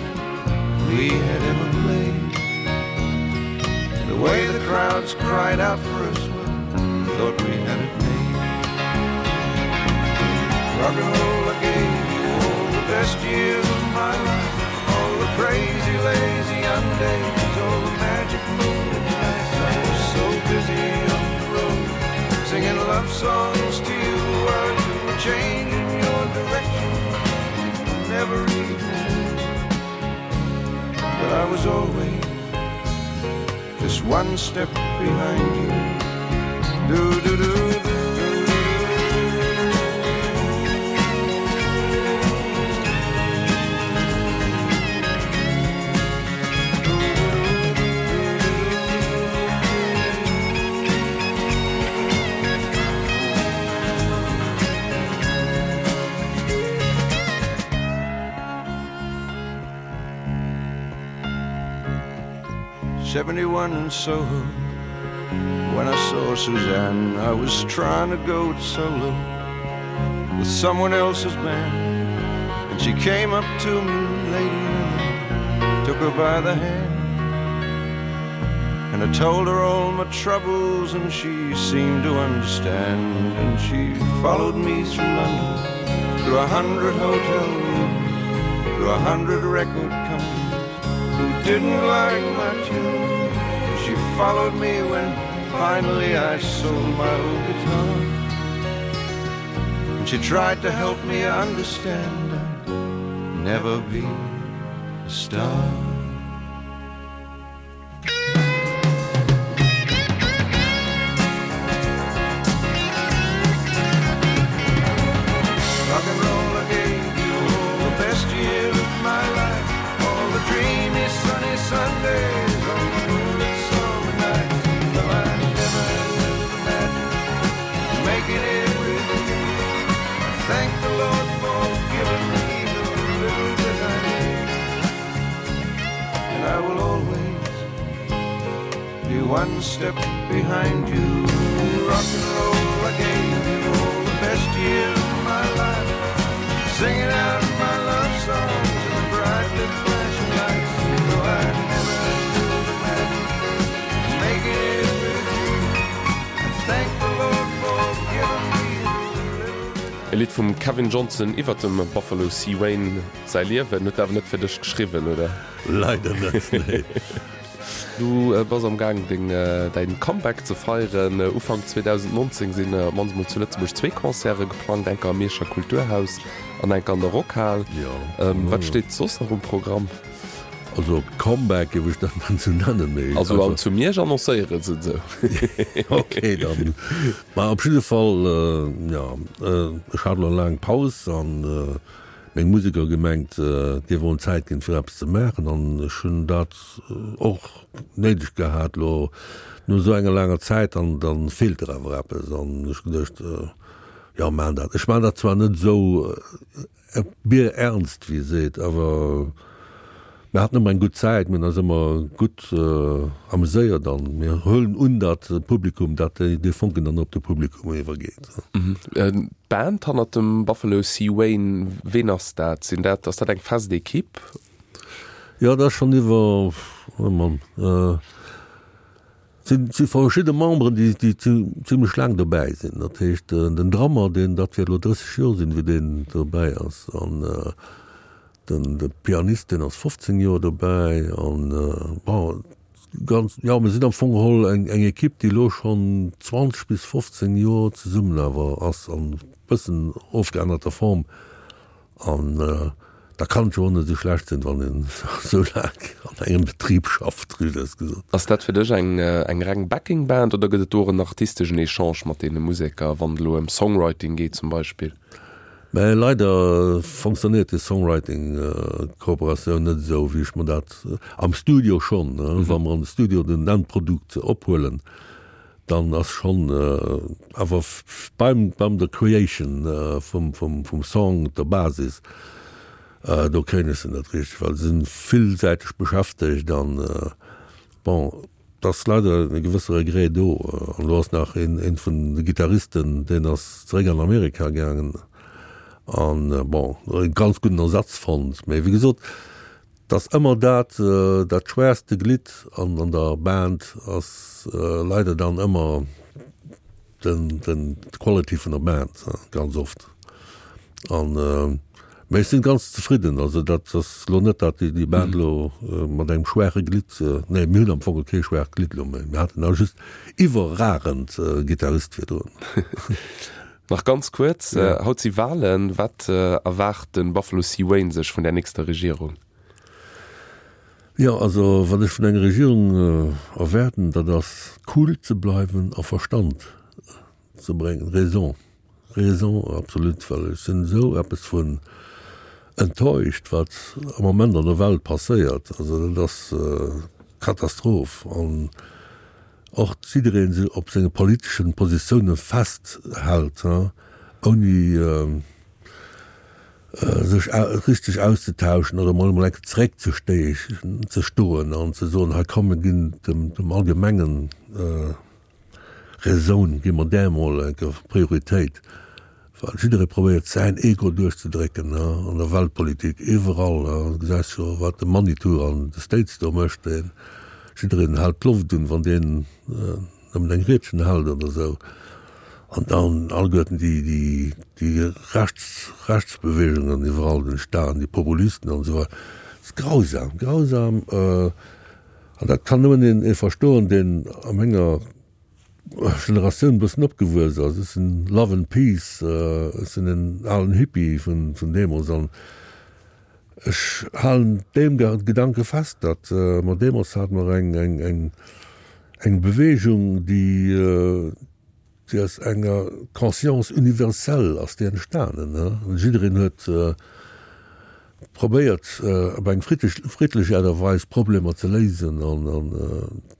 we had ever played. The way the crowds cried out for us, well, thought we had it made. Rock and roll, I gave you all the best years of my life, all the crazy, lazy young days, all the magic moonlit nights. I was so busy on the road, singing love songs to you while you were changing your direction. Never even knew that I was always just one step behind you. Do, do, do, do. Seventy-one in Soho, when I saw Suzanne, I was trying to go it solo with someone else's band. And she came up to me later and I took her by the hand. And I told her all my troubles and she seemed to understand. And she followed me through London, through a hundred hotel rooms, through a hundred record companies who didn't like my tune. And she followed me when finally I sold my old guitar. And she tried to help me understand I'd never be a star. Rock and roll, I gave you all the best years of my life, all the dreamy sunny Sundays, all the moonlit summer nights. Though I never imagined making it with you, I thank the Lord for giving me the little bit I need. And I will always be one step behind you. Rock and roll, I gave you all the best years of my life, singing out my love songs in the bright lit flashing lights. Though I never could imagine making it with you, I thank the Lord for giving me the little bit E Lidd vum Kevin Johnson iwwer dem Buffalo C. Wayne säi Liewen, huet awer net fir dech geschriwwen, oder? Leider net, nee. Du äh, bass am Gaang deng, äh, däin Comeback ze feieren. Äh, Ufank zweedausendnonzéng sinn äh, mannst mol zu Lëtzebuerg zwee Concerte geplangt, eng am Mierscher Kulturhaus an eng an der Rockhal. Ja. Ähm, wat steet soss nach um Programm? Also Comeback géif ech dat net sou nennen, mee. Also, also zu Miersch annoncéiere se sou. Okay, dann. Ma op jidde Fall, äh, ja, äh, ech hat lo laang Paus an äh, meng Museker gemengt, äh, déi wollen Zäit ginn fir eppes ze maachen an ech hunn dat äh, och néideg gehat lo no sou enger laanger Zäit an dann feelt der awer eppes an ech geduecht, äh, ja maan dat. Ech maan dat zwar net sou äh, bierernst wéi ee seet, awer mir haten ëmmer eng gutt Zäit, mir hunn eis ëmmer gutt äh, amuséiert an mir huelen un, dat Publikum, dat déi, dee Fonken dann op de Publikum iwwergeet. Mhm. Äh, Band hannert dem Buffalo C. Wayne, ween ass dat? Sinn dat, ass dat eng fest Ekipp? Ja, dat ass schonn iwwer, oh Mann, äh, Et si verschidde Memberen, déi déi zimlech laang dobäi sinn. Dat heescht den Drummer, deen, dat wäert elo drësseg Joer sinn, wéi deen dobäi ass. An den de Pianist, deen ass fofzéng Joer dobäi. An bon, ganz, jo, mir sinn am Fong geholl eng eng Ekipp, déi elo schonn zwanzeg bis fofzéng Joer zesummen awer ass, an bëssen ofgeännerter Form. An da kann et jo och net esou schlecht sinn, wann een esou laang an engem Betrib schafft, riicht aus gesot. Ass dat fir dech eng eng reng Backing Band oder gëtt et do och en artisteschen Echange mat deene Museker, wann et elo ëm Songwriting geet zum Beispill? Mä leider fonctionnéiert déi Songwriting Kooperatioun net esou, wéi ech mer dat am Studio schonn, wa mer an de Studio den Endprodukt ophuelen, dann ass schonn awer beim beim der Creation vum vum vum Song der Basis, do kréien ech se net richteg, well se sinn villsäiteg beschäftegt an bon, et ass leider e gewësse Regret do. An elo ass nach een een vun de Gittaristen, deen ass zeréck an Amerika gaangen an bon, e ganz gudden Ersatz fonnt, mee wéi gesot, 't ass ëmmer dat, dat schwächste Glidd an an der Band ass leider dann ëmmer den, den, d'Quality vun der Band, ganz oft. An, mä ech sinn ganz zefridden. Also dat ass elo net, dat déi Band elo mat engem schwaache Glidd, nee, mir hunn am Fong kee schwaacht Glidd elo méi, mir haten da just iwwerragend Gittarist virdrun. Nach ganz kuerz, haut si Walen, wat erwaart de Buffalo C. Wayne sech vun der nächster Regierung? Jo, also wat ech vun enger Regierung erwaarden, dat ass cool ze bleiwen a Verstand ze bréngen, Raison, Raison absolut, well ech sinn esou eppes vun enttäuscht, wat am Moment an der Welt passéiert. Also dat ass Katastroph an och jidderee sech op senge politeschen Positioune festhält, ouni sech richteg auszetauschen oder emol emol eng Kéier zeréck ze ze stoen an ze soen, hei komm mir ginn dem dem allgemengen Raison gi mer där emol eng Kéier Prioritéit, well jidderee probéiert säin Ego duerchzedrécken an der Weltpolitik, iwwerall. Du gesäis jo wat de Manitou an de States do mécht, deen jiddereen hält d'Loft un, wann deen nëmmen eng Riedchen hält oder esou. An dann alleguerten déi, déi, déi Rechts, Rechtsbewegungen iwwerall, den Staat, déi Populisten an esou weider. Et ass grausam, grausam. An dat kann nëmmen een, ee verstoen, deen a menger Generatioun e bëssen opgewuess ass. Ech sinn Love and Peace, ech sinn en alen Hippie vun, vun deemools an ech halen deem Gedanke fest, datt mer deemools hate mer eng, eng, eng, eng Bewegung, déi, déi aus enger Conscience universelle ass déi entstanen. Jiddereen huet probéiert op eng friddlech Aart a Weis Problemer ze léisen an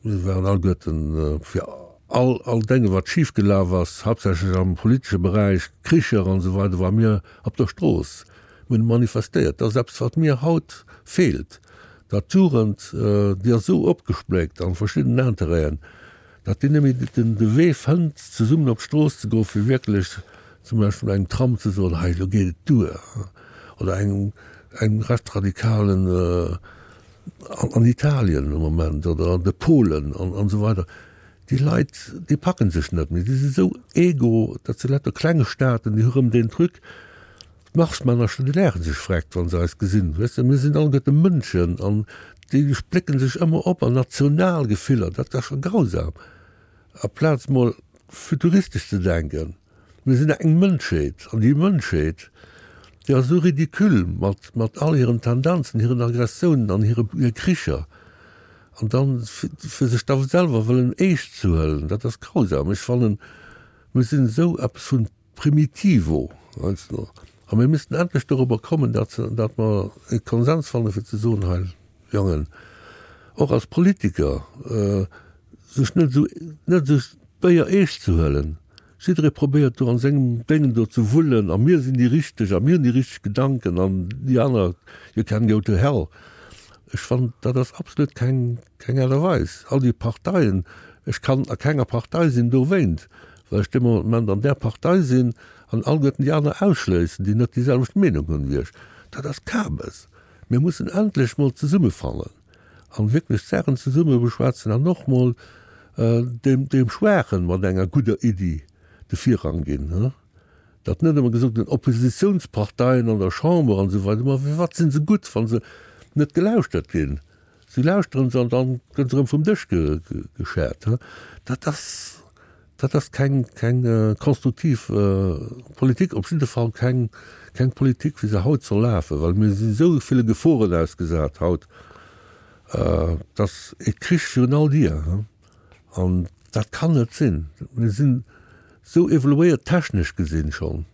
mir waren alleguerten fir all all Dénge wat schif gelaf ass, haaptsächlech am politesche Beräich, Kricher an esou weider, ware mir op der Strooss, mir hunn manifestéiert. Dat ass eppes wat mir haut feelt, datt d'Jugend, déi ass esou opgespléckt an verschiddenen Interêten, datt déi net méi den de Wee fënnt, zesummen op d'Strooss ze goen, fir wierklech zum Beispill engem Trump ze soen, hei elo geet et duer, oder engem engem Rechtsradikalen an Italien am Moment oder an de Polen an an esou weider. Déi Leit, déi packen sech net méi, déi si esou ego, dat si lauter klenge Staaten, déi hu rëm deen Truc, D'Marsmännercher, déi laache sech vreckt, wa se eis gesinn. Weess de, mir sinn alleguerte Mënschen an déi splécke sech ëmmer op an Nationalgefiller. Dat ass scho grausam. Aplaz mol futuristesch ze denken, mir sinn eng Mënschheet an déi Mënschheet, déi ass esou ridicule mat, mat all hiren Tendenzen, hiren Aggressiounen an hire Kricher. An dann, fir sech da selwer wëllen eescht ze huelen, dat ass grausam. Ech fannen, mir sinn esou eppes vun Primitivo, heiansdo. A mir missten endlech dorobber kommen, datt, datt mer e Konsens fanne fir ze soen, hei Jongen, och als Politiker, sech net esou, net esou béier eescht ze huelen. Jidderee probéiert do an sengem Déngen do ze wullen a mir sinn déi Richteg a mir hunn déi richteg Gedanken an déi aner, you can go to hell. Ech fannen, dat ass absolut keng, keng Aart a Weis. All déi Parteien, ech kann a kenger Partei sinn dowéint, well ech dee Moment an där Partei sinn an alleguerten déi aner ausschléissen, déi net déi selwecht Meenung hunn wéi ech. Dat ass Kabes. Mir mussen endlech mol zesummefannen an wierklech d'Saachen zesumme beschwätzen an och mol deem, deem Schwaachen mat enger gudder Iddi de Virrang ginn. Datt net ëmmer gesot gëtt, Oppositionsparteien an der Chamber an esou weider, ma fir wat si se gutt, wa se net gelauschtert ginn? Si lauschteren se an dann gëtt se erëm vum Dësch geschäert. Dat ass, dat ass keng, keng konstruktiv Politik, op jidde Fall keng, keng Politik, wéi se haut soll lafen, well mir si sou ville Geforen ausgesat haut, dass e Krich virun all Dier. An dat kann net sinn. Mir sinn sou evoluéiert technesch gesinn schonn,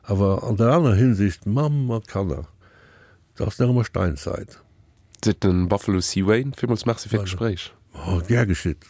awer an der aner Hinsicht, Mamm mat Kanner, dat ass nach ëmmer Steinzeit. Seet den Buffalo C. Wayne. Villmools Merci fir d'Gespréich. Oh, gär geschitt.